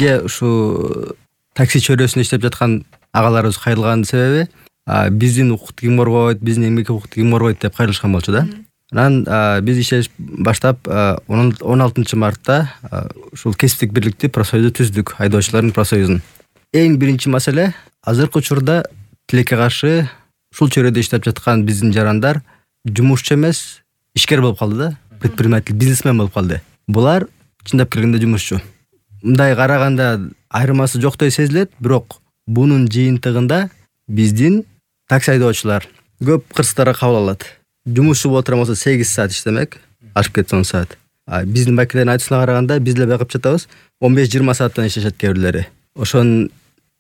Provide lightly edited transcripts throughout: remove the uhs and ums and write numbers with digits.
бизге ушу такси чөйрөсүндө иштеп жаткан агаларыбыз кайрылганын себеби биздин укукту ким коргойт, биздин эмгек укукту ким коргойт деп кайрылышкан болчу да. Анан биз иштеш баштап 16 мартта ушул кесиптик бирликти профсоюзду түздүк, айдоочулардын профсоюзун. Эң биринчи маселе азыркы учурда тилекке каршы ушул чөйрөдө иштеп жаткан биздин жарандар жумушчу эмес, ишкер болуп калды да, предприниматель, бизнесмен болуп калды. Булар чындап келгенде жумушчу. Мындай караганда айырмасы жоктой сезилет, бирок бунун жыйынтыгында биздин такси айдоочулар көп кырсыктарга кабыл алат. Жумушчу боло турган болсо 8 саат иштемек, ашып кетсе 10 саат. Биздин бакилердин айтуусуна караганда биз деле байкап жатабыз, 15-20 сааттан иштешет кээ бирлери. Ошонун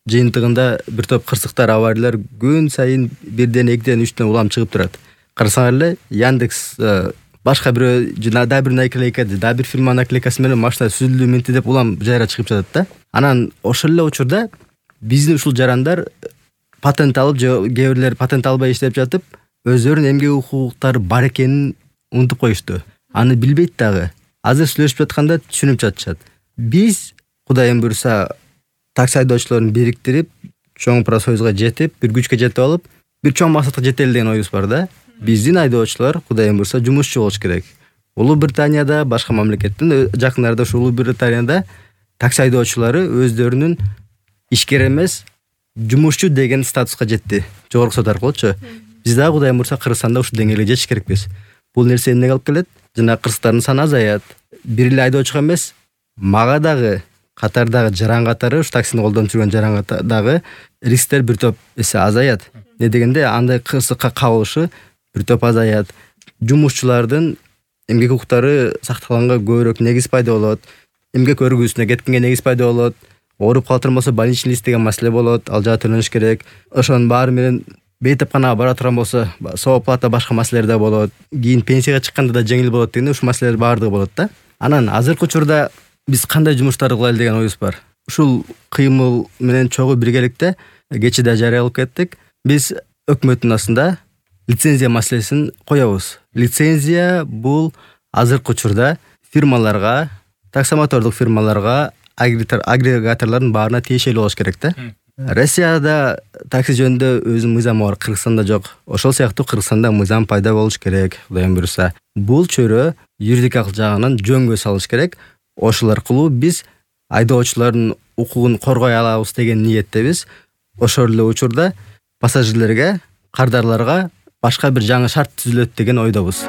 жыйынтыгында бир топ кырсыктар, авариялар күн сайын 1ден, 2ден, 3ден улам чыгып турат. Карасаңар эле Яндекс башка бирөө да бир наклейка, да бир фирманын наклейкасы менен машина сүзүлдү менти деп улам жайра чыгып жатат да. Анан ошол эле учурда биздин ушул жарандар патент алып, кээ бирлери патент албай иштеп жатып, өздөрүнүн эмгек укуктары бар экенин унутуп коюшту. Аны билбейт дагы. Азыр сүйлөшүп жатканда түшүнүп жатышат. Биз Кудайым буйруса такси айдоочуларын бириктирип, чоң профсоюзга жетип, бир күчкө жетип алып, бир чоң максатка жетели деген оюбуз бар да. Биздин айдоочулар Кудайым буйруса жумушчу болуш керек. Улуу Британияда, башка мамлекеттин жакындарда ушу Улуу Британияда такси айдоочулары өздөрүнүн ишкер эмес, жумушчу деген статуска жетти. Жогорку сот аркылуучу. Биз дагы Кудайым буйруса Кыргызстанда ушул деңгээлге жетиш керекпиз. Бул нерсе эмнеге алып келет? Жана кырсыктардын саны азаят. Бир эле айдоочуга эмес, мага дагы катардагы жаран катары, ушу таксини колдонуп жүргөн жаран катардагы рисктер бир топ эсе азаят. Не дегенде андай кырсыкка кабылышы бир топ азаят. Жумушчулардын эмгек укуктары сакталганга көбүрөөк негиз пайда болот. Эмгек өргүүсүнө кеткенге негиз пайда болот. Ооруп калатын болсо больничный лист деген маселе болот. Ал жака төлөнүш керек. Ошонун баары менен бейтапканага бара турган болсо, сооплата башка маселелер да болот. Кийин пенсияга чыкканда да жеңил болот дегенде ушу маселелер баардыгы болот да. Анан азыркы учурда биз кандай жумуштарды кылайлы деген оюбуз бар. Ушул кыймыл менен чогуу биргеликте кечеде жарыялап кеттик. Биз өкмөттүн астында лицензия маселесин коебуз. Лицензия бул азыркы учурда фирмаларга, таксомотордук фирмаларга, агрегаторлордун баарына тиешелүү болуш керек да. Россияда такси жөнүндө өзүнүн мыйзамы бар, Кыргызстанда жок. Ошол сыяктуу Кыргызстанда мыйзам пайда болуш керек, Кудайым буйруса. Бул чөйрө юридикалык жагынан жөнгө салыш керек. Ошол аркылуу биз айдоочулардын укугун коргой алабыз деген ниеттебиз. Ошол эле учурда пассажирлерге, кардарларга башка бир жаңы шарт түзүлөт деген ойдобуз.